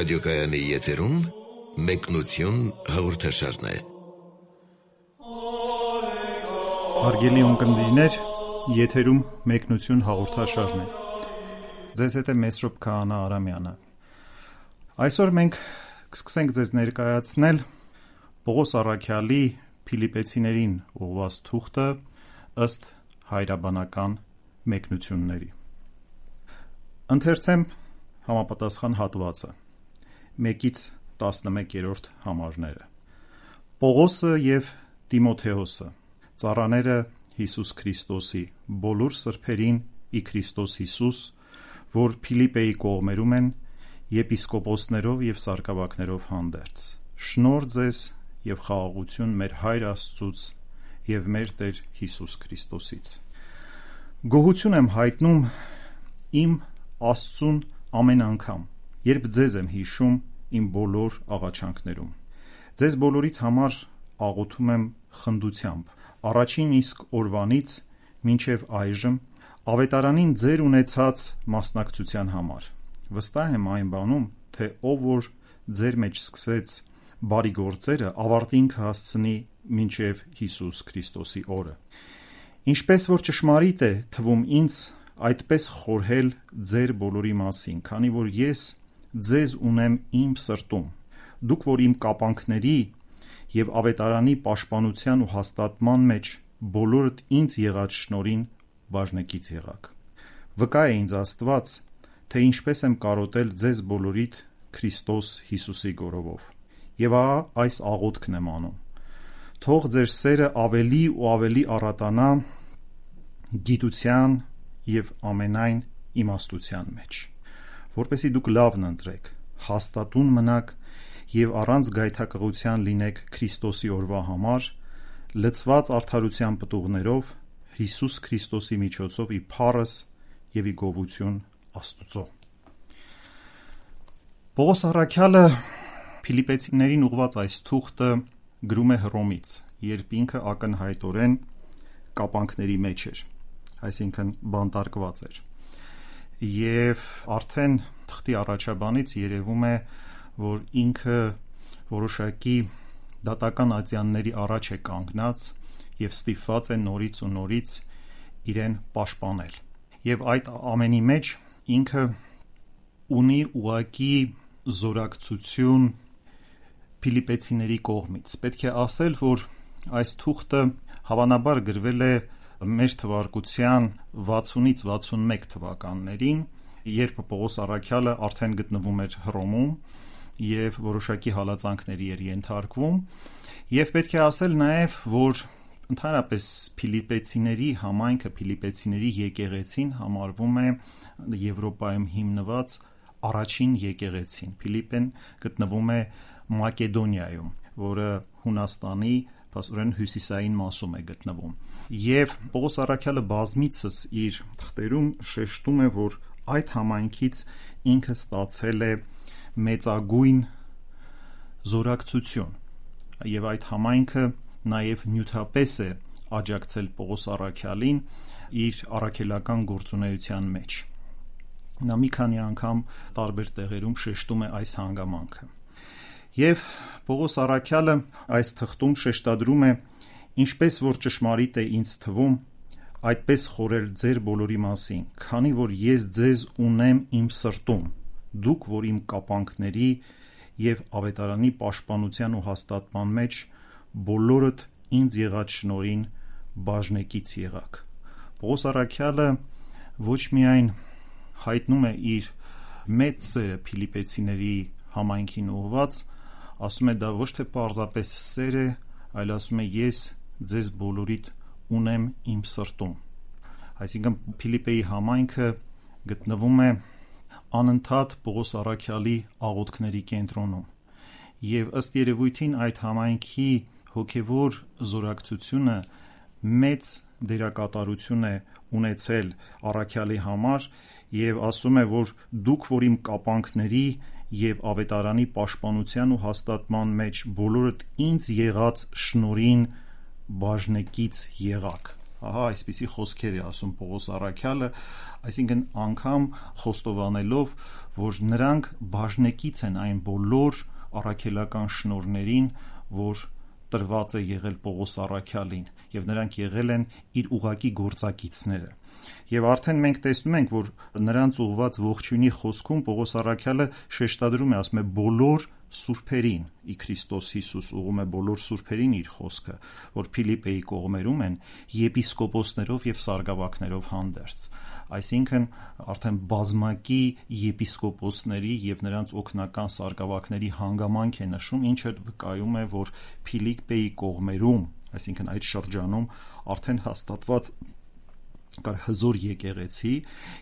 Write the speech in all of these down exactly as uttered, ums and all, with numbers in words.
ռադիոկայանի եթերում մեկնություն հաղորդաշարն է։ Հարգելի ունկնդիրներ, եթերում մեկնություն հաղորդաշարն է։ Ձեզ հետ է Մեսրոպ Քահանա Արամյանը։ Այսօր մենք կսկսենք ձեզ ներկայացնել Պողոս Առաքյալի Փիլիպեցիներին ուղղված թուղթը ըստ հայրաբանական մեկնությունների։ Ընթերցեմ համապատասխան հատվածը մեկից տասնմեկերորդ համարները։ Պողոսը և Տիմոթեոսը, ծառաները Հիսուս Քրիստոսի, բոլոր սրբերին ի Քրիստոս Հիսուս, որ Փիլիպեի կողմերում են, եպիսկոպոսներով և սարկավակներով հանդերձ։ Շնորհ ձեզ և խաղաղություն մեր Հայր Աստծուց և մեր Տեր Հիսուս Քրիստոսից։ Գոհություն եմ հայտնում իմ Աստծուն ամեն անգամ, երբ ձեզ եմ հիշում իմ բոլոր աղաչանքներում։ Ձեզ բոլորիդ համար աղոթում եմ խնդությամբ, առաջին իսկ օրվանից մինչև այժմ ավետարանին ձեր ունեցած մասնակցության համար։ Վստահ եմ այն բանում, թե ով որ ձեր մեջ սկսեց բարի գործերը, ավարտին կհասցնի մինչև Հիսուս Քրիստոսի օրը։ Ինչպես որ ճշմարիտ է թվում ինձ այդպես խորհել ձեր բոլորի մասին, քանի որ ես ձեզ ունեմ իմ սրտում, դուք որ իմ կապանքների և ավետարանի պաշտպանության ու հաստատման մեջ բոլորդ ինձ եղած շնորհին բաժնեկից եղաք։ Վկա է ինձ Աստված, թե ինչպես եմ կարոտել ձեզ բոլորիդ Քրիստոս Հիսուսի գորովով։ Եվ ահա այս աղոթքն եմ անում. թող ձեր սերը ավելի ու ավելի առատանա գիտության և ամենայն իմաստության մեջ, որպեսզի դուք լավն ընտրեք, հաստատուն մնաք և առանց գայթակղության լինեք Քրիստոսի օրվա համար, լցված արդարության պտուղներով Հիսուս Քրիստոսի միջոցով ի փառս և ի գովություն Աստուծո։ Պողոս Առաքյալը Փիլիպեցիներին ուղղված այս թուղթը գրում է Հռոմից, երբ ինքը ակնհայտորեն կապանքների մեջ էր, այսինքն բանտարկված էր, և արդեն թղթի առաջաբանից երևում է, որ ինքը որոշակի դատական ատյանների առաջ է կանգնած և ստիպված է նորից ու նորից իրեն պաշտպանել։ Եվ այդ ամենի մեջ ինքը ունի ուղղակի զորակցություն Փիլիպեցիների կողմից։ Պետք է ասել, որ այս թուղթը հավանաբար գրվել է մեր թվարկության վաթսունից վաթսունմեկ թվականներին, երբ Պողոս Առաքյալը արդեն գտնվում էր Հռոմում և որոշակի հալածանքների էր ենթարկվում, և պետք է ասել նաև, որ ընդհանրապես Փիլիպեցիների համայնքը, Փիլիպեցիների եկեղեցին համարվում է Եվրոպայում հիմնված առաջին եկեղեցին։ Փիլիպեն գտնվում է Մակեդոնիայում, որը Հունաստանի փաստորեն հյուսիսային մասում է գտնվում։ Եվ Պողոս Առաքյալը բազմիցս իր թղթերում շեշտում է, որ այդ համայնքից ինքը ստացել է մեծագույն զորակցություն, և այդ համայնքը նաև նյութապես է աջակցել Պողոս Առաքյալին իր առաքելական գործունեության մեջ։ Նա մի քանի անգամ տարբեր տեղերում շեշտում է այս հանգամանքը։ Եվ Պողոս Առաքյալը այս թղթում շեշտադրում է, ինչպես որ ճշմարիտ է ինձ թվում, այդպես խորհել ձեր բոլորի մասին, քանի որ ես ձեզ ունեմ իմ սրտում, դուք որ իմ կապանքների և ավետարանի պաշտպանության ու հաստատման մեջ բոլորդ ինձ եղած շնորհին բաժնեկից եղաք։ Պողոս Առաքյալը ոչ միայն հայտնում է իր մեծ սերը Փիլիպեցիների համայնքին ուղղված, ասում է դա ոչ թե պարզապես սեր է, այլ ասում է ես ձեզ բոլորիդ ունեմ իմ սրտում։ Այսինքն Փիլիպեի համայնքը գտնվում է անընդհատ Պողոս Առաքյալի աղոթքների կենտրոնում, և ըստ երևույթին այդ համայնքի հոգևոր զորակցությունը մեծ դերակատարություն է ունեցել Առաքյալի համար, և ասում է, որ դուք որ իմ կապանքների և ավետարանի պաշտպանության ու հաստատման մեջ բոլորդ ինձ եղած շնորհին բաժնեկից եղաք։ Ահա այսպիսի խոսքեր է ասում Պողոս առաքյալը, այսինքն անգամ խոստովանելով, որ նրանք բաժնեկից են այն բոլոր առաքելական շնորհներին, որ տրված է եղել Պողոս առաքյալին, եւ նրանք եղել են իր ուղակի գործակիցները։ Եվ արդեն մենք տեսնում ենք, որ նրանց ուղված ողջույնի խոսքում Պողոս առաքյալը շեշտադրում է, ասում է բոլոր սուրբերին, ի Քրիստոս Հիսուս ուղում է բոլոր սուրբերին իր խոսքը, որ Փիլիպպեի կողմերում են եպիսկոպոսներով եւ սարգսակներով հանդերձ, այսինքն արդեն բազմակի եպիսկոպոսների եւ նրանց օգնական սարգսակների հանգամանք է նշում, ինչը վկայում է, որ Փիլիպպեի կողմերում, այսինքն այդ շրջանում արդեն հաստատված կար հզոր եկեղեցի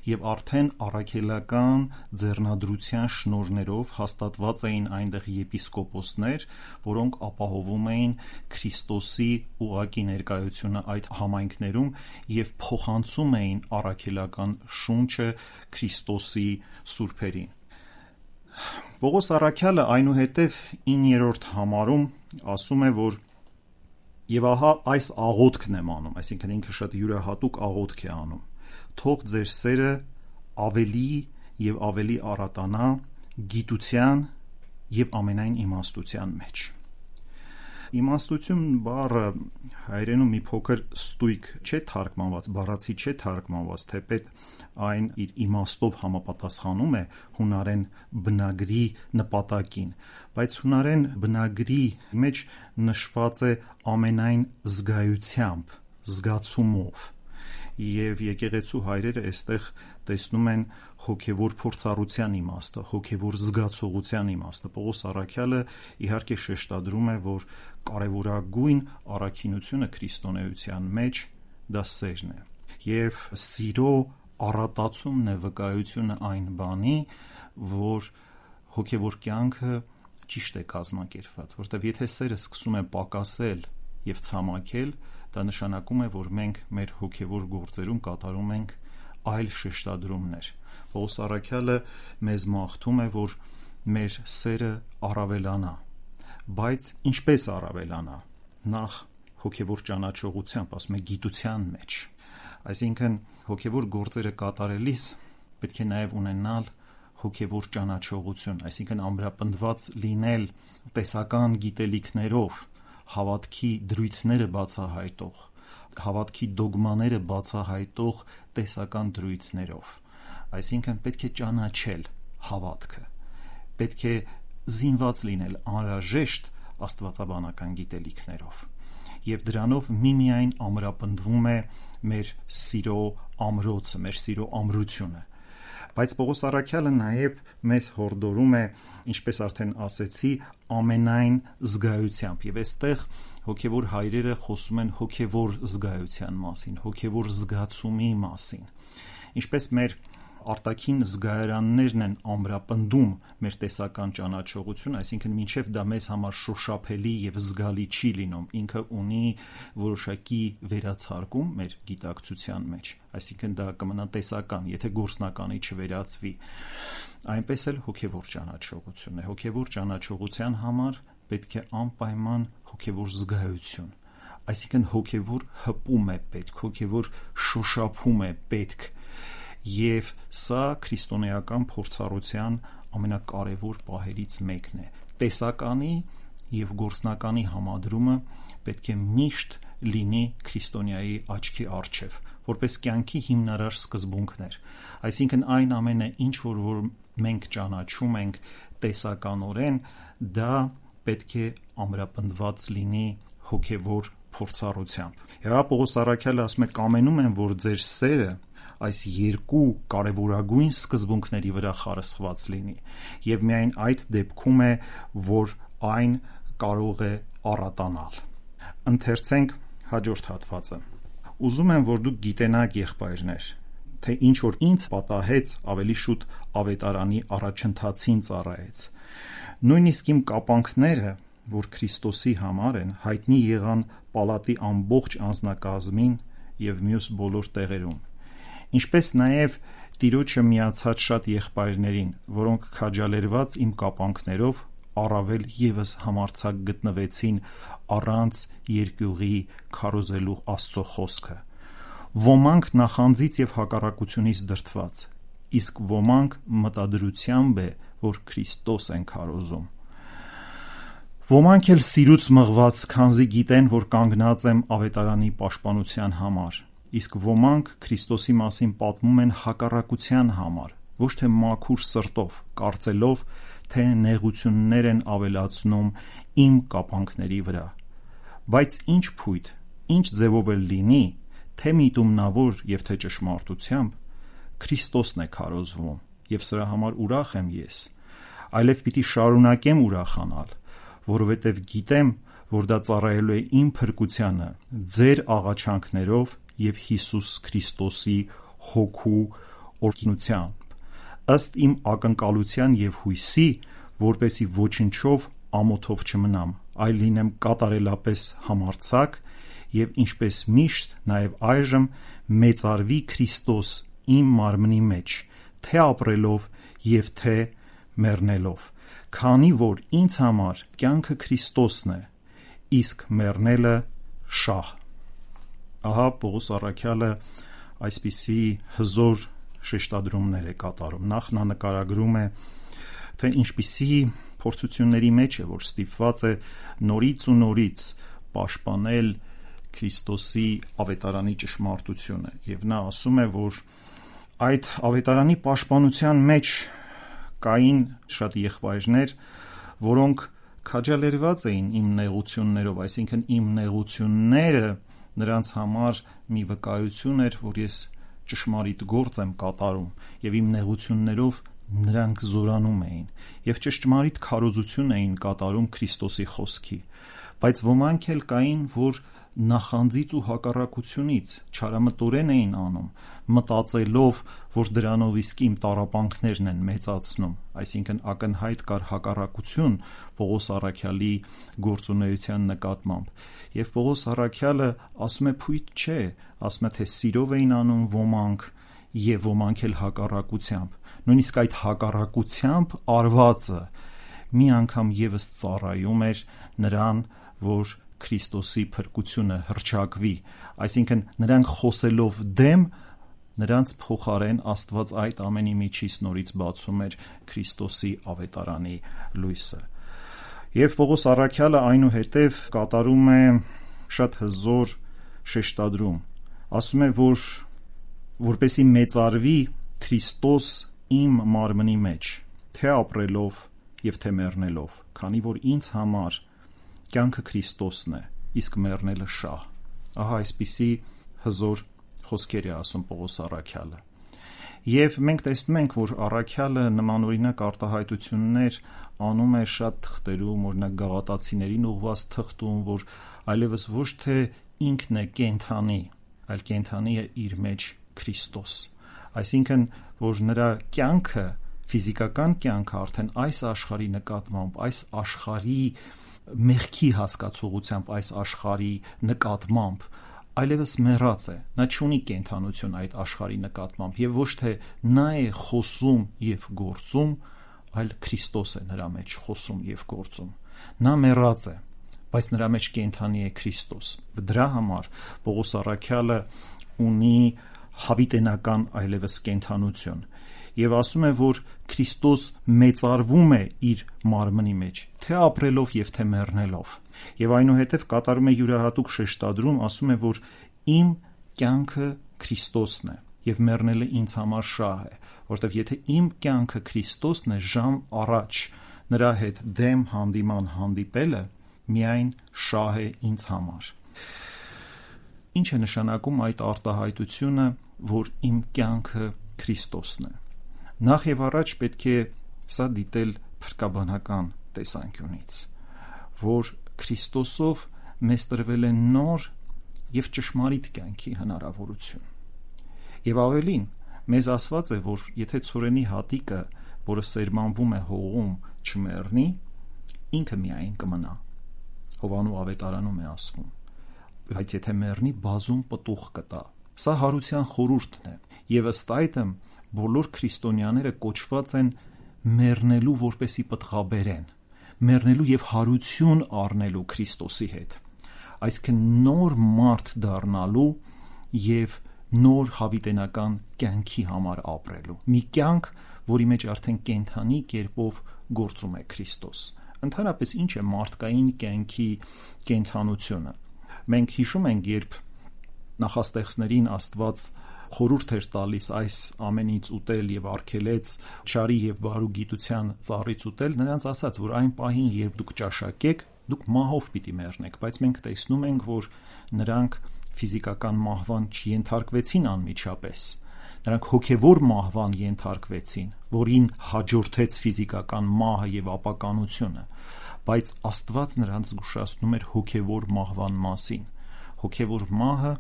եւ արդեն առաքելական ձեռնադրության շնորհներով հաստատված էին այնտեղ եպիսկոպոսներ, որոնք ապահովում էին Քրիստոսի ուղակի ներկայությունը այդ համայնքներում եւ փոխանցում էին առաքելական շունչը Քրիստոսի սուրբերին։ Պողոս առաքյալը այնուհետև իններորդ համարում ասում է, որ Եվ ահա այս աղոթքն եմ անում, այսինքն ինքը շատ յուրահատուկ աղոթք է անում. թող ձեր սերը ավելի եւ ավելի առատանա գիտության եւ ամենայն իմաստության մեջ։ Իմաստություն բառը հայերենում մի փոքր ստույգ չէ թարգմանված, բառացի չէ թարգմանված, թեպետ այն իր իմաստով համապատասխանում է հունարեն բնագրի նպատակին, բայց հունարեն բնագրի մեջ նշված է ամենայն զգայությամբ, զգացումով, եւ եկեղեցու հայրերը այստեղ տեսնում են հոգևոր փորձառության իմաստը, հոգևոր զգացողության իմաստը։ Պողոս առաքյալը իհարկե շեշտադրում է, որ կարևորագույն առաքինությունը քրիստոնեության մեջ դա սերն է, եւ սիրո առատացումն է վկայությունը այն բանի, որ հոգևոր կյանքը ճիշտ է կազմակերպված, որտեղ եթե սերը սկսում է պակասել եւ ցամաքել, դա նշանակում է, որ մենք մեր հոգևոր գործերում կատարում ենք այլ շեշտադրումներ։ Պողոս առաքյալը մեզ մաղթում է, որ մեր սերը առավելանա, բայց ինչպես առավելանա։ Նախ հոգևոր ճանաչողությամբ, ասում է գիտության մեջ, այսինքն հոգևոր գործերը կատարելիս պետք է նաև ունենալ հոգևոր ճանաչողություն, այսինքն ամրապնդված լինել տեսական գիտելիքներով, հավատքի դրույթները բացահայտող, հավատքի դոգմաները բացահայտող տեսական դրույթներով, այսինքն պետք է ճանաչել հավատքը, պետք է զինված լինել անհրաժեշտ աստվածաբանական գիտելիքներով, եւ դրանով միմիայն ամրապնդվում է մեր սիրո ամրոցը, մեր սիրո ամրությունը։ Բայց Պողոս առաքյալը նաև մեզ հորդորում է, ինչպես արդեն ասեցի, ամենայն զգայությամբ, եւ այստեղ հոգևոր հայրերը խոսում են հոգևոր զգայության մասին, հոգևոր զգացումի մասին, ինչպես մեր արտաքին զգայարաններն են ամրապնդում մեր տեսական ճանաչողություն, այսինքն մինչև դա մեզ համար շոշափելի եւ զգալի չի լինում, ինքը ունի որոշակի վերացարկում մեր գիտակցության մեջ, այսինքն դա կմնա տեսական, եթե գործնականի չվերածվի, այնպես էլ հոգևոր ճանաչողությունն է, հոգևոր ճանաչողության համար պետք է անպայման հոգևոր զգայություն, այսինքն հոգևոր հպում է պետք, հոգևոր շոշափում է պետք, եւ սա քրիստոնեական փորձառության ամենակարևոր պահերից մեկն է։ Տեսականի եւ գործնականի համադրումը պետք է միշտ լինի քրիստոնյայի աչքի առջև, որպես կյանքի հիմնարար սկզբունքներ։ Այսինքն այն ամենը, ինչ որ, որ մենք ճանաչում ենք տեսականորեն, դա պետք է ամրապնդված լինի հոգևոր փորձառությամբ։ Եվ Պողոս առաքյալը ասում է. «Կամենում եմ, որ ձեր սերը այս երկու կարևորագույն սկզբունքների վրա խարսխված լինի, եւ միայն այդ դեպքում է, որ այն կարող է առատանալ»։ Ընթերցենք հաջորդ հատվածը։ «Ուզում եմ, որ դուք գիտենաք, եղբայրներ, թե ինչ որ ինձ պատահեց, ավելի շուտ ավետարանի առաջընթացին ծառայեց։ Նույնիսկ իմ կապանքները, որ Քրիստոսի համար են, հայտնի եղան պալատի ամբողջ անձնակազմին եւ մյուս բոլոր տեղերում, ինչպես նաև Տիրոջը միացած շատ եղբայրներին, որոնք քաջալերված իմ կապանքներով առավել եւս համարձակ գտնվեցին առանց երկյուղի քարոզելու Աստծո խոսքը, Ոմանք նախանձից եւ հակառակությունից դրդված, իսկ ոմանք մտադրությամբ է, որ Քրիստոս են քարոզում։ Ոմանք էլ սիրուց մղված, քանզի գիտեն, որ կանգնած եմ ավետարանի պաշտպանության համար, իսկ ոմանք Քրիստոսի մասին պատմում են հակառակության համար, ոչ թե մաքուր սրտով, կարծելով, թե նեղություններ են ավելացնում իմ կապանքների վրա։ Բայց ինչ փույթ, ինչ ձևով էլ լինի, թե միտումնավոր եւ թե ճշմարտությամբ, Քրիստոսն է քարոզվում, եւ սրա համար ուրախ եմ ես, այլև պիտի շարունակեմ ուրախանալ, որովհետև գիտեմ, որ դա ծառայելու է իմ փրկությանը, ձեր աղաչանքներով եւ Հիսուս Քրիստոսի հոգու օրհնությամբ, ըստ իմ ակնկալության եւ հույսի, որպեսի ոչնչով ամոթով չմնամ, այլ լինեմ կատարելապես համարձակ եւ ինչպես միշտ նաեւ այժմ մեծարվի Քրիստոս իմ մարմնի մեջ, թե ապրելով եւ թե մեռնելով, քանի որ ինձ համար կյանքը Քրիստոսն է, իսկ մեռնելը շահ։ Ահա Պողոս առաքյալը այսպիսի հզոր շեշտադրումներ է կատարում։ Նախ նա նկարագրում է, թե ինչպիսի փորձությունների մեջ է, որ ստիպված է նորից ու նորից պաշտպանել Քրիստոսի ավետարանի ճշմարտությունը, եւ նա ասում է, որ այդ ավետարանի պաշտպանության մեջ կային շատ եղբայրներ, որոնք քաջալերված էին իմ նեղություններով, այսինքն իմ նեղությունները նրանց համար մի վկայություն էր, որ ես ճշմարիտ գործ եմ կատարում, եւ իմ նեղություններով նրանք զորանում էին եւ ճշմարիտ քարոզություն էին կատարում Քրիստոսի խոսքի, բայց ոմանք էլ կային, որ նախանձից ու հակառակությունից չարամտորեն էին անում, մտածելով, որ դրանով իսկ իմ տառապանքներն են մեծացնում, այսինքն ակնհայտ կար հակառակություն Պողոս առաքյալի գործունեության նկատմամբ, եւ Պողոս առաքյալը ասում է փույթ չէ, ասում է, թե սիրով էին անում ոմանք եւ ոմանք էլ հակառակությամբ, նույնիսկ այդ հակառակությամբ արվածը մի անգամ եւս ծառայում էր նրան, որ Քրիստոսի փրկությունը հռչակվի, այսինքն նրանք խոսելով դեմ, նրանց փոխարեն Աստված այդ ամենի միջից նորից բացում էր Քրիստոսի ավետարանի լույսը։ Եվ Պողոս առաքյալը այնուհետև կատարում է շատ հզոր շեշտադրում, ասում է, որ որպեսի մեծարվի Քրիստոս իմ մարմնի մեջ, թե ապրելով եւ թե մեռնելով, քանի որ ինձ համար կյանքը Քրիստոսն է, իսկ մեռնելը շահ։ Ահա այսպիսի հզոր խոսքեր է ասում Պողոս առաքյալը։ Եվ մենք տեսնում ենք, որ առաքյալը նմանօրինակ արտահայտություններ անում է շատ թղթերում, օրինակ Գաղատացիներին ուղված թղթում, որ այլևս ոչ թե ինքն է կենդանի, այլ կենդանի է իր մեջ Քրիստոս։ Այսինքն, որ նրա կյանքը, ֆիզիկական կյանքը արդեն այս աշխարհի նկատմամբ, այս աշխարհի մեղքի հասկացողությամբ, այս աշխարհի նկատմամբ այլևս մեռած է, նա չունի կենդանություն այդ աշխարհի նկատմամբ եւ ոչ թե նա է խոսում եւ գործում, այլ Քրիստոս է նրա մեջ խոսում եւ գործում։ Նա մեռած է, բայց նրա մեջ կենդանի է Քրիստոս։ Դրա համար Պողոս առաքյալը ունի հավիտենական այլևս կենդանություն եւ ասում է, որ Քրիստոս մեծարվում է իր մարմնի մեջ, թե ապրելով եւ թե մեռնելով։ Եվ այնուհետև կատարում է յուրահատուկ շեշտադրում, ասում է, որ իմ կյանքը Քրիստոսն է եւ մեռնելը ինձ համար շահ է, որովհետեւ եթե իմ կյանքը Քրիստոսն է, ժամ առաջ նրա հետ դեմ հանդիման հանդիպելը միայն շահ է ինձ համար։ Ինչ է նշանակում այդ արտահայտությունը, որ իմ կյանքը Քրիստոսն է։ Նախ եւ առաջ պետք է սա դիտել փրկաբանական տեսանկյունից, որ Քրիստոսով մեզ տրվել է նոր եւ ճշմարիտ կյանքի հնարավորություն։ Եվ ավելին, մեզ ասված է, որ եթե ցորենի հատիկը, որը սերմանվում է հողում, չմեռնի, ինքը միայն կմնա։ Հովանու ավետարանում է ասվում, բայց եթե մեռնի, բազում պտուղ կտա։ Սա հարության խորհուրդն է, եւ ըստ այդմ բոլոր քրիստոնյաները կոչված են մեռնելու, որպեսի պտղաբերեն, մեռնելու եւ հարություն առնելու Քրիստոսի հետ, այսինքն նոր մարդ դառնալու եւ նոր հավիտենական կյանքի համար ապրելու։ Մի կյանք, որի մեջ արդեն կենդանի կերպով գործում է Քրիստոս։ Ընդհանրապես ինչ է մարդկային կյանքի կենդանությունը։ Մենք հիշում ենք, երբ նախաստեղծներին Աստված խորհուրդ էր տալիս այս ամենից ուտել եւ արգելեց չարի եւ բարու գիտության ծառից ուտել, նրանց ասաց, որ այն պահին, երբ դուք ճաշակեք, դուք մահով պիտի մեռնեք, բայց մենք տեսնում ենք, որ նրանք ֆիզիկական մահվան չենթարկվեցին անմիջապես։ Նրանք հոգևոր մահվան ենթարկվեցին, որին հաջորդեց ֆիզիկական մահը եւ ապականությունը, բայց Աստված նրանց զգուշացնում էր հոգևոր մահվան մասին։ Հոգևոր մահը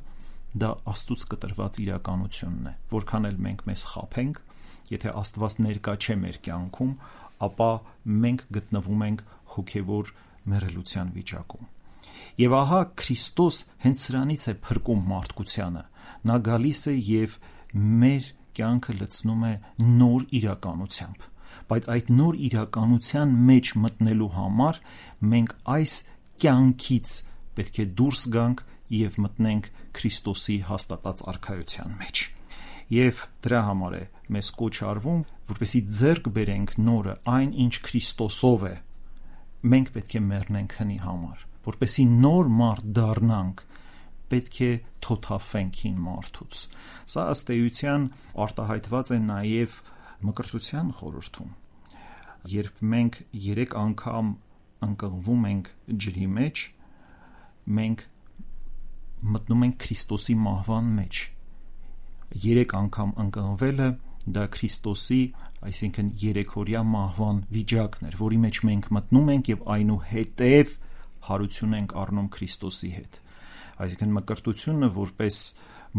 դա Աստծուց կտրված իրականությունն է, որքան էլ մենք մեզ խաբենք, եթե Աստված ներկա չէ մեր կյանքում, ապա մենք գտնվում ենք հոգևոր մեռելության վիճակում։ Եվ ահա Քրիստոս հենց սրանից է փրկում մարդկությանը։ Նա գալիս է եւ մեր կյանքը լցնում է նոր իրականությամբ, բայց այդ նոր իրականության մեջ մտնելու համար մենք այս կյանքից պետք է դուրս գանք եւ մտնենք Քրիստոսի հաստատած արքայության մեջ։ Եվ դրա համար է մեզ կոչ արվում, որպեսզի ձեռք բերենք նորը, այն ինչ Քրիստոսով է, մենք պետք է մեռնենք հնի համար, որպեսզի նոր մարդ դառնանք, պետք է թոթափվենք հին մարդուց։ Սա ըստ էության արտահայտված է նաև Մկրտության խորհրդում։ Երբ մենք երեք անգամ ընկղվում ենք ջրի մեջ, մենք մտնում ենք Քրիստոսի մահվան մեջ։ Երեք անգամ ընկղվելը դա Քրիստոսի, այսինքն երեքօրյա մահվան վիճակն էր, որի մեջ մենք մտնում ենք եւ այնուհետեւ հարություն ենք առնում Քրիստոսի հետ։ Այսինքն մկրտությունը որպես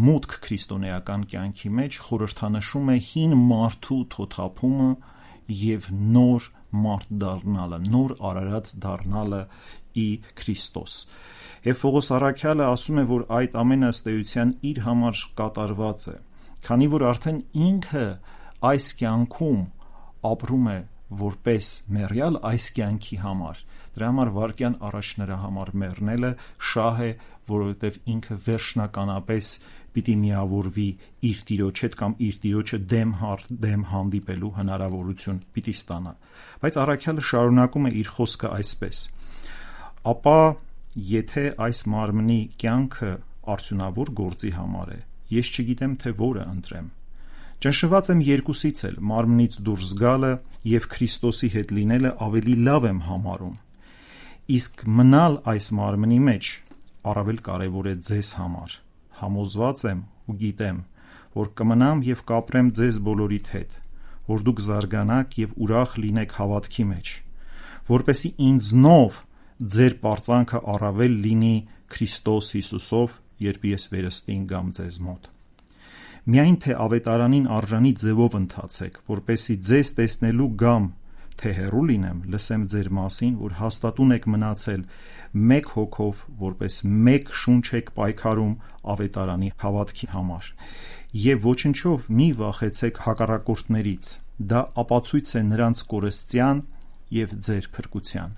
մուտք քրիստոնեական կյանքի մեջ խորհրդանշում է հին մարդու թոթափումը եւ նոր մարդ դառնալը, նոր արարած դառնալը ի Քրիստոս։ Եվ Պողոս առաքյալը ասում է, որ այդ ամենը ըստ էության իր համար կատարված է, քանի որ արդեն ինքը այս կյանքում ապրում է որպես մեռյալ այս կյանքի համար։ Դրա համար վարկյան առաջ նրա համար մեռնելը շահ է, որովհետև ինքը վերջնականապես պիտի միավորվի իր Տիրոջ հետ կամ իր Տիրոջը դեմ հարդ դեմ հանդիպելու հնարավորություն պիտի ստանա։ Բայց առաքյալը շարունակում է իր խոսքը այսպես. ապա եթե այս մարմնի կյանքը արդյունավոր գործի համար է, ես չգիտեմ, թե որը ընտրեմ։ Ճնշված եմ երկուսից էլ, մարմնից դուրս գալը եւ Քրիստոսի հետ լինելը ավելի լավ եմ համարում։ Իսկ մնալ այս մարմնի մեջ առավել կարևոր է ձեզ համար։ Համոզված եմ ու գիտեմ, որ կմնամ եւ կապրեմ ձեզ բոլորիդ հետ, որ դուք զարգանաք եւ ուրախ լինեք հավատքի մեջ, որպեսզի ինձնով ձեր պարծանքը առավել լինի Քրիստոս Հիսուսով, երբ ես վերստին գամ ձեզ մոտ։ Միայն թե ավետարանին արժանի ձևով ընթացեք, որպեսզի ձեզ տեսնելու գամ, թե հեռու լինեմ, լսեմ ձեր մասին, որ հաստատուն եք մնացել մեկ հոգով, որպես մեկ շունչ եք պայքարում ավետարանի հավատքի համար։ Եվ ոչնչով մի վախեցեք հակառակորդներից, դա ապացույց է նրանց կորստյան եւ ձեր փրկության։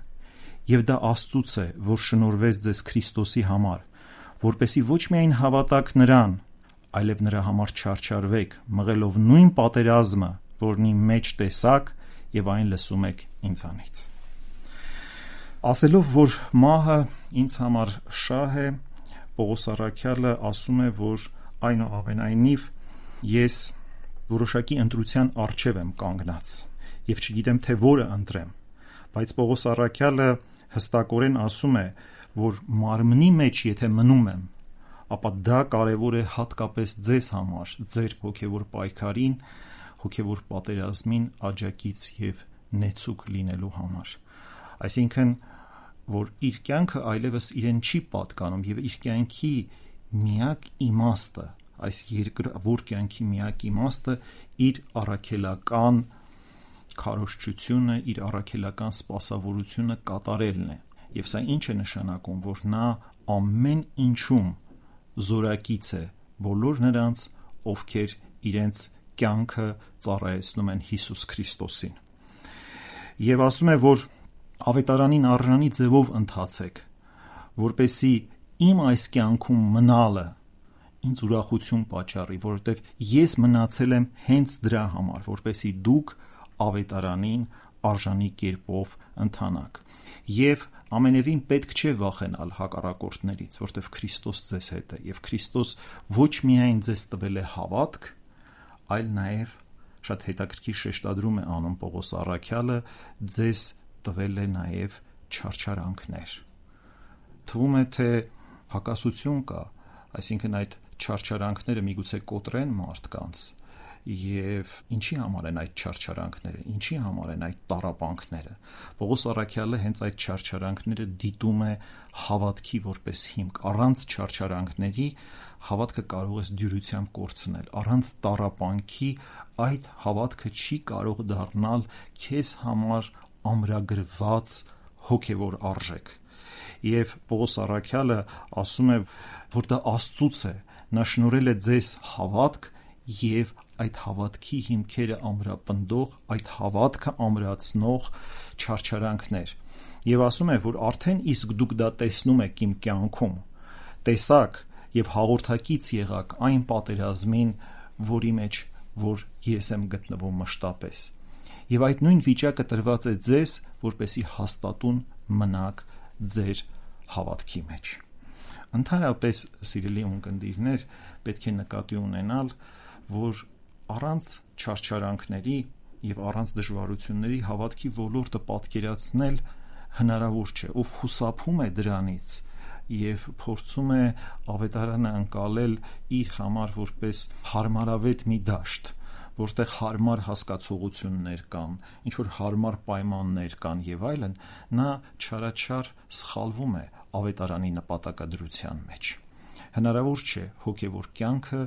Եվ դա Աստծուց է, որ շնորհվեց ձեզ Քրիստոսի համար, որպեսզի ոչ միայն հավատաք նրան, այլև նրա համար չարչարվեք, մղելով նույն պատերազմը, որնի մեջ տեսաք եւ այն լսում եք ինձանից։ Ասելով, որ մահը ինձ համար շահ է, Պողոս առաքյալը ասում է, որ այնուամենայնիվ ես որոշակի ընտրության առջև եմ կանգնած եւ չգիտեմ, թե որը ընտրեմ, բայց Պողոս առաքյալը հստակորեն ասում է, որ մարմնի մեջ եթե մնում եմ, ապա դա կարևոր է հատկապես ձեզ համար, ձեր հոգևոր պայքարին, հոգևոր պատերազմին աջակից եւ նեցուկ լինելու համար։ Այսինքն, որ իր կյանքը այլևս իրեն չի պատկանում եւ իր կյանքի միակ իմաստը, այս երկրավոր կյանքի միակ իմաստը իր առաքելական քարոզչությունը, իր առաքելական սպասավորությունը կատարելն է։ Եվ սա ինչ է նշանակում, որ նա ամեն ինչում զորակից է բոլոր նրանց, ովքեր իրենց կյանքը ծառայեցնում են Հիսուս Քրիստոսին։ Եվ ասում է, որ ավետարանին արժանի ձևով ընթացեք, որպեսզի իմ այս կյանքում մնալը ինձ ուրախություն պատճառի, որովհետև ես մնացել եմ հենց դրա համար, որպեսզի դուք ավետարանին արժանի կերպով ընթանաք։ Եվ ամենևին պետք չէ վախենալ հակառակորդներից, որտեղ Քրիստոս ձեզ հետ է, եւ Քրիստոս ոչ միայն ձեզ տվել է հավատք, այլ նաեւ շատ հետաքրքիր շեշտադրում է անում Պողոս առաքյալը, ձեզ տվել է նաեւ չարչարանքներ։ Թվում է, թե հակասություն կա, այսինքն այդ չարչարանքները միգուցե կոտրեն մարդկանց, եւ ինչի համար են այդ չարչարանքները, ինչի համար են այդ տառապանքները։ Պողոս առաքյալը հենց այդ չարչարանքները դիտում է հավատքի որպես հիմք։ Առանց չարչարանքների հավատքը կարող է դյուրությամբ կորցնել, առանց տառապանքի այդ հավատքը չի կարող դառնալ քեզ համար ամրագրված հոգևոր արժեք։ Եվ Պողոս առաքյալը ասում է, որ դա Աստծուց է, նա շնորհել է ձեզ հավատք եւ այդ հավատքի հիմքերը ամրապնդող, այդ հավատքը ամրացնող չարչարանքներ։ Եվ ասում է, որ արդեն իսկ դուք դա տեսնում եք իմ կյանքում, տեսաք եւ հաղորդակից եղաք այն պատերազմին, որի մեջ որ ես եմ գտնվում մշտապես։ Եվ այդ նույն վիճակը տրված է ձեզ, որպեսի հաստատուն մնաք ձեր հավատքի մեջ։ Ընդհանրապես, սիրելի ունկնդիրներ, պետք է նկատի ունենալ, որ առանց չարչարանքների եւ առանց դժվարությունների հավատքի ոլորտը պատկերացնել հնարավոր չէ։ Ով խուսափում է դրանից եւ փորձում է ավետարանը ընկալել իր համար որպես հարմարավետ մի դաշտ, որտեղ հարմար հասկացողություններ կան, ինչ որ հարմար պայմաններ կան եւ այլն, նա չարաչար սխալվում է ավետարանի նպատակադրության մեջ։ Հնարավոր չէ հոգևոր կյանքը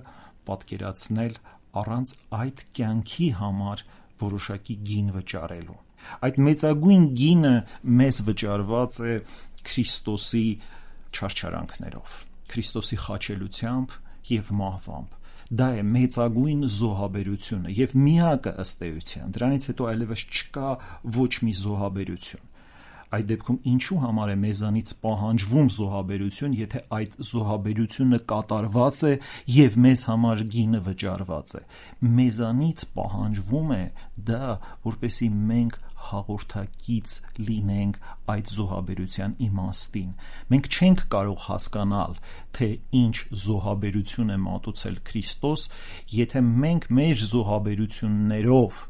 պատկերացնել առանց այդ կյանքի համար որոշակի գին վճարելու։ Այդ մեծագույն գինը մեզ վճարված է Քրիստոսի չարչարանքներով, Քրիստոսի խաչելությամբ եւ մահվամբ։ Դա է մեծագույն զոհաբերությունը եւ միակը ըստ էության։ Դրանից հետո այլևս չկա ոչ մի զոհաբերություն։ Այդ դեպքում ինչու համար է մեզանից պահանջվում զոհաբերություն, եթե այդ զոհաբերությունը կատարված է եւ մեզ համար գինը վճարված է։ Մեզանից պահանջվում է դա, որպեսզի մենք հաղորդակից լինենք այդ զոհաբերության իմաստին։ Մենք չենք կարող հասկանալ, թե ինչ զոհաբերություն է մատուցել Քրիստոս, եթե մենք մեր զոհաբերություններով,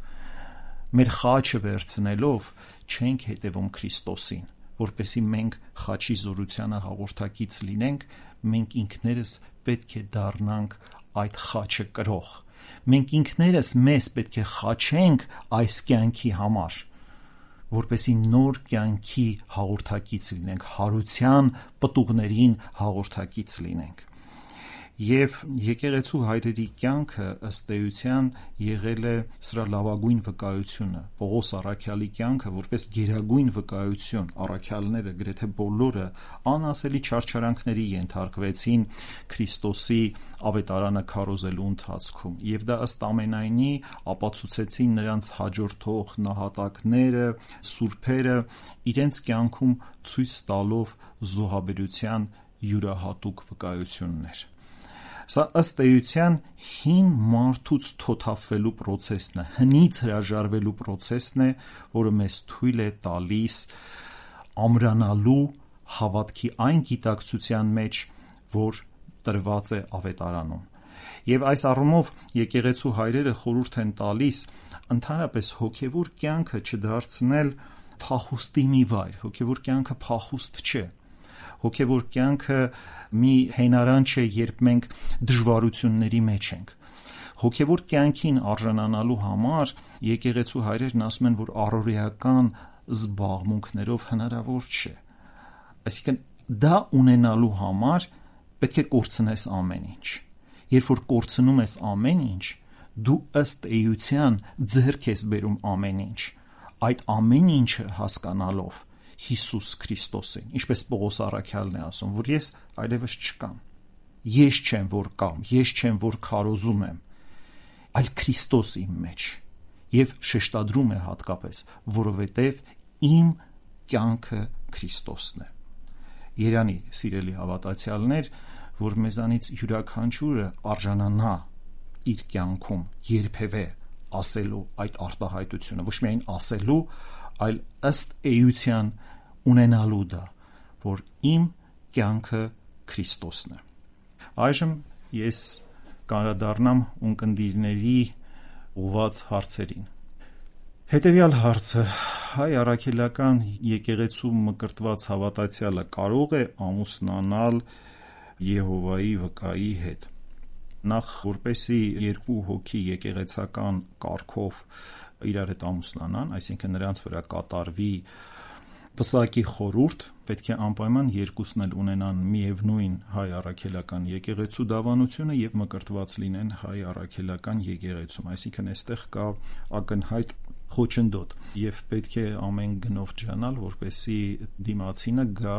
մեր խաչը վերցնելով չենք հետևում Քրիստոսին, որպեսզի մենք խաչի զորությանը հաղորդակից լինենք, մենք ինքներս պետք է դառնանք այդ խաչը կրող։ Մենք ինքներս մեզ պետք է խաչենք այս կյանքի համար, որպեսզի նոր կյանքի հաղորդակից լինենք, հարության պտուղներին հաղորդակից լինենք։ Եվ եկեղեցու հայրերի կյանքը ըստ էության եղել է սրա լավագույն վկայությունը։ Պողոս առաքյալի կյանքը որպես գերագույն վկայություն, առաքյալները գրեթե բոլորը անասելի չարչարանքների ենթարկվեցին Քրիստոսի ավետարանը քարոզելու ընթացքում, եւ դա ըստ ամենայնի ապացուցեցին նրանց հաջորդող նահատակները, սուրբերը, իրենց կյանքում ցույց տալով զոհաբերության յուրահատուկ վկայություններ։ Սա ըստ էության հին մարդուց թոթափվելու պրոցեսն է, հնից հրաժարվելու պրոցեսն է, որը մեզ թույլ է տալիս ամրանալու հավատքի այն գիտակցության մեջ, որ տրված է ավետարանում։ Եվ այս առումով եկեղեցու հայրերը խորհուրդ են տալիս ընդհանրապես հոգևոր կյանքը չդարձնել փախուստի մի վայր։ Հոգևոր կյանքը փախուստ չէ։ Հոգևոր կյանքը մի հենարան չէ, երբ մենք դժվարությունների մեջ ենք։ Հոգևոր կյանքին արժանանալու համար եկեղեցու հայրերն ասում են, որ առօրեական զբաղմունքներով հնարավոր չէ։ Այսինքն դա ունենալու համար պետք է կորցնես ամեն ինչ։ Երբ որ կորցնում ես ամեն ինչ, դու ըստ էության ձեռք ես բերում ամեն ինչ։ Այդ ամեն ինչը հասկանալով Հիսուս Քրիստոսին, ինչպես Պողոս առաքյալն է ասում, որ ես այլևս չկամ։ Ես չեմ, որ կամ, ես չեմ, որ քարոզում եմ, այլ Քրիստոս իմ մեջ։ Եվ շեշտադրում է հատկապես, որովհետև իմ կյանքը Քրիստոսն է։ Երանի, սիրելի հավատացյալներ, որ մեզանից յուրաքանչյուրը արժանանա իր կյանքում երբևէ ասելու այդ արտահայտությունը, ոչ միայն ասելու, այլ ըստ էության ունենալու դա, որ իմ կյանքը Քրիստոսն է։ Այժմ ես կանդրադառնամ ունկնդիրների ուղղված հարցերին։ Հետևյալ հարցը՝ հայ առաքելական եկեղեցու մկրտված հավատացյալը կարող է ամուսնանալ Եհովայի վկայի հետ։ Նախ, որպեսզի երկու հոգի եկեղեցական կարգով իրար հետ ամուսնանան, այսինքն նրանց վրա կատարվի պսակի խորհուրդ, պետք է անպայման երկուսն էլ ունենան միևնույն հայ առաքելական եկեղեցու դավանությունը եւ մկրտված լինեն հայ առաքելական եկեղեցում, այսինքն այստեղ կա ակնհայտ խոչընդոտ եւ պետք է ամեն գնով ջանալ, որպեսզի դիմացինը գա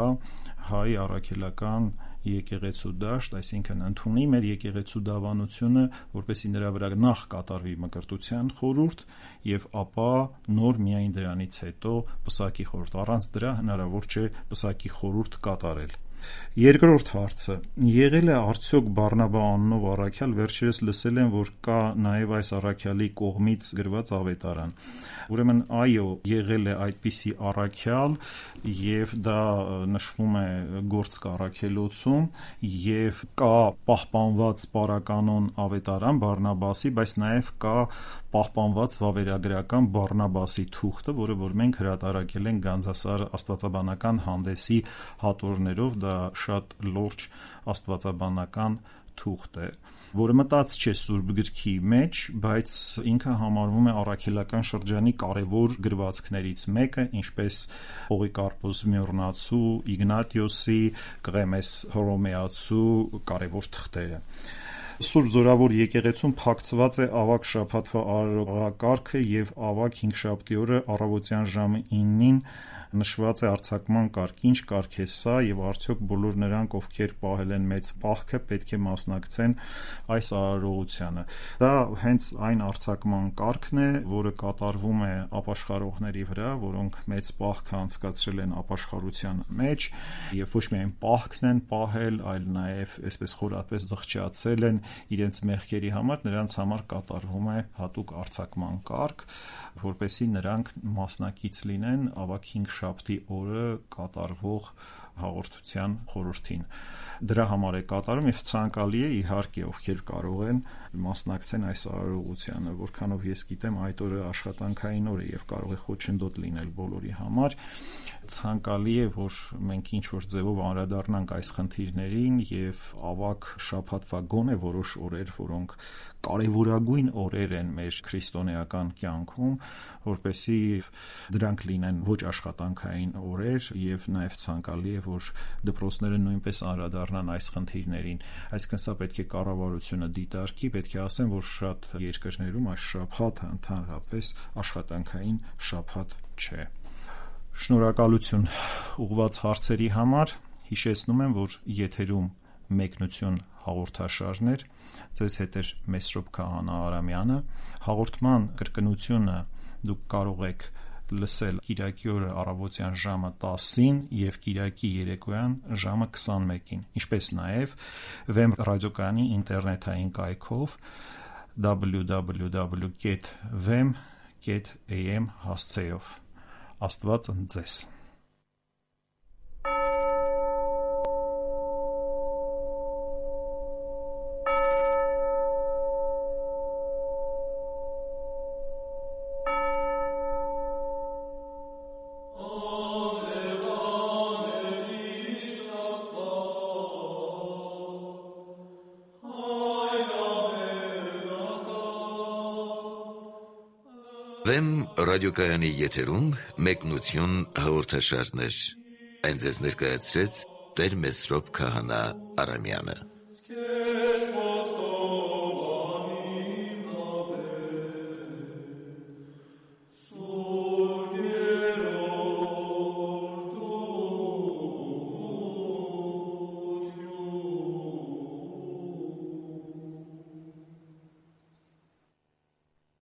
հայ առաքելական եկեղեցու դաշտ, այսինքն ընդունի մեր եկեղեցու դավանությունը, որպեսզի նրա վրա նախ կատարվի մկրտության խորհուրդ եւ ապա նոր միայն դրանից հետո պսակի խորհուրդ, առանց դրա հնարավոր չէ պսակի խորհուրդ կատարել։ Երկրորդ հարցը՝ եղել է արդյոք Բարնաբա անունով առաքյալ, վերջերս լսել եմ, որ կա նաև այս առաքյալի կողմից գրված ավետարան։ Ուրեմն այո, եղել է այդպիսի առաքյալ եւ դա նշվում է Գործք առաքելոցում եւ կա պահպանված պարականոն ավետարան Բարնաբասի, բայց նաև կա պահպանված վավերագրական Բարնաբասի թուղթը, որը որ մենք հրատարակել ենք Գանձասար աստվածաբանական հանդեսի հատորներով, դա շատ լուրջ աստվածաբանական թուղթ է, որը մտած չէ Սուրբ գրքի մեջ, բայց ինքը համարվում է առաքելական շրջանի կարևոր գրվածքներից մեկը, ինչպես Պողիկարպոս Մյորնացու, Իգնատիոսի, Կղեմես Հռոմեացու կարևոր թղթերը։ Սուրբ Զորավոր եկեղեցում փակցված է ավագ շաբաթվա արարողակարգը եւ ավագ հինգշաբթի օրը առավոտյան ժամը իննին նշված է արձակման կարգ, ինչ կարգ է սա եւ արդյոք բոլոր նրանք, ովքեր պահել են մեծ պահքը, պետք է մասնակցեն այս արարողությանը։ Դա հենց այն արձակման կարգն է, որը կատարվում է ապաշխարողների վրա, որոնք մեծ պահքը անցկացրել են ապաշխարության մեջ եւ ոչ միայն պահքն են պահել, այլ նաեւ այսպես խորապես զղջացել են իրենց մեղքերի համար, նրանց համար կատարվում է հատուկ արձակման կարգ, որպեսզի նրանք մասնակից լինեն ավագ հինգշաբթի օրը կատարվող հաղորդության խորհրդին։ Դրա համար է կատարում եւ ցանկալի է իհարկե, ովքեր կարող են մասնակցեն այս արարողությանը, որքանով ես գիտեմ այդ օրը աշխատանքային օր է եւ կարող է խոչընդոտ լինել բոլորի համար, ցանկալի է, որ մենք ինչ որ ձևով անդրադառնանք այս խնդիրներին եւ ավագ շաբաթվա գոնե որոշ օրեր, որոնք կարևորագույն օրեր են մեր քրիստոնեական կյանքում, որպեսզի դրանք լինեն ոչ աշխատանքային օրեր եւ նաեւ ցանկալի է, որ դպրոցները նույնպես անդրադառնան այս խնդիրներին, այսինքն սա պետք է կառավարությունը դիտարկի, պետք է ասեմ, որ շատ երկրներում այս շաբաթը ընդհանրապես աշխատանքային շաբաթ չէ։ Շնորհակալություն ուղղված հարցերի համար, հիշեցնում եմ, որ եթերում մեկնություն հաղորդաշարներ, ձեզ հետ է Մեսրոպ Քահանա Արամյանը, հաղորդման կրկնությունը դուք կարող եք լսել Կիրակի օրը առավոտյան ժամը տասին եւ Կիրակի երեկոյան ժամը քսանմեկին, ինչպես նաեւ Վեմ ռադիոկայանի ինտերնետային կայքով double-u double-u double-u dot vem dot a m հասցեով։ Աստված ընդ ձեզ։ Վեմ ռադիոկայանի եթերում մեկնություն հաղորդաշարներ։ Այն ձեզ ներկայացրեց Տեր Մեսրոպ Քահանա Արամյանը։